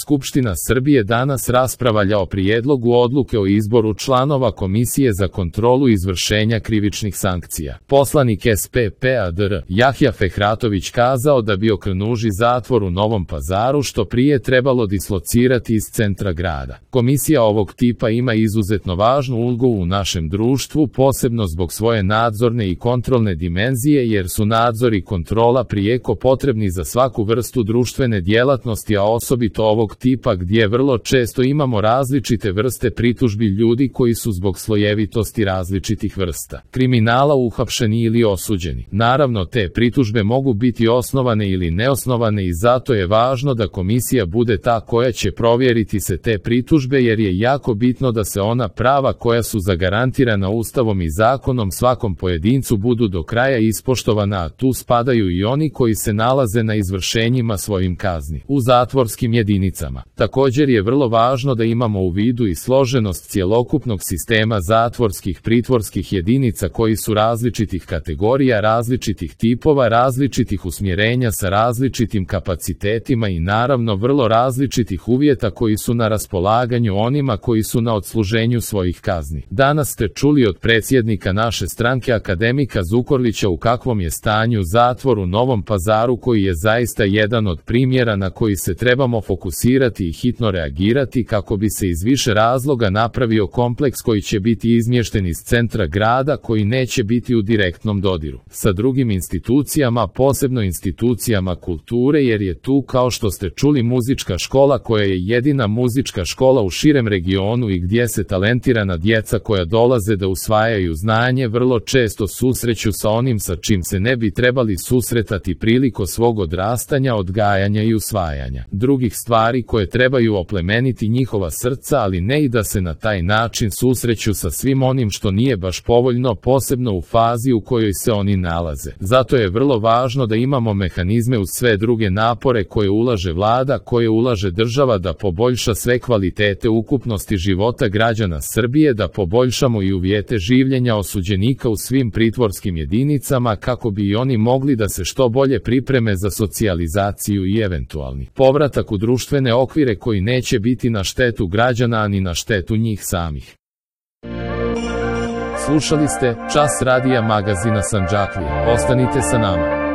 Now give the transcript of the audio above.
Skupština Srbije danas raspravlja o prijedlogu odluke o izboru članova Komisije za kontrolu izvršenja krivičnih sankcija. Poslanik SPP-a dr. Jahja Fehratović kazao da bi Okrenuži zatvor u Novom Pazaru što prije trebalo dislocirati iz centra grada. Komisija ovog tipa ima izuzetno važnu ulogu u našem društvu, posebno zbog svoje nadzorne i kontrolne dimenzije, jer su nadzor i kontrola prijeko potrebni za svaku vrstu društvene djelatnosti, a osobito ovog tipa gdje vrlo često imamo različite vrste pritužbi ljudi koji su zbog slojevitosti različitih vrsta kriminala uhapšeni ili osuđeni. Naravno, te pritužbe mogu biti osnovane ili neosnovane i zato je važno da komisija bude ta koja će provjeriti se te pritužbe, jer je jako bitno da se ona prava koja su zagarantirana Ustavom i zakonom svakom pojedincu budu do kraja ispoštovana, a tu spadaju i oni koji se nalaze na izvršenjima svojim kazni u zatvorskim jedinicama. Također je vrlo važno da imamo u vidu i složenost cjelokupnog sistema zatvorskih pritvorskih jedinica koji su različitih kategorija, različitih tipova, različitih usmjerenja sa različitim kapacitetima i naravno vrlo različitih uvjeta koji su na raspolaganju onima koji su na odsluženju svojih kazni. Danas ste čuli od predsjednika naše stranke akademika Zukorlića u kakvom je stanju zatvor u Novom Pazaru, koji je zaista jedan od primjera na koji se trebamo fokusirati i hitno reagirati kako bi se iz više razloga napravio kompleks koji će biti izmješten iz centra grada, koji neće biti u direktnom dodiru sa drugim institucijama, posebno institucijama kulture, jer je tu, kao što ste čuli, muzička škola koja je jedina muzička škola u širem regionu i gdje se talentirana djeca koja dolaze da usvajaju znanje vrlo često susreću sa onim sa čim se ne bi trebali susretati prilikom svog odrastanja, odgajanja i usvajanja drugih stvari koje trebaju oplemeniti njihova srca, ali ne i da se na taj način susreću sa svim onim što nije baš povoljno, posebno u fazi u kojoj se oni nalaze. Zato je vrlo važno da imamo mehanizme uz sve druge napore koje ulaže vlada, koje ulaže država, da poboljša sve kvalitete ukupnosti života građana Srbije, da poboljšamo i uvjete življenja osuđenika u svim pritvorskim jedinicama kako bi i oni mogli da se što bolje pripreme za socijalizaciju i eventualni povratak u društvene okvire koji neće biti na štetu građana ani na štetu njih samih. Slušali ste Čas radija magazina Sandžaklija. Ostanite sa nama.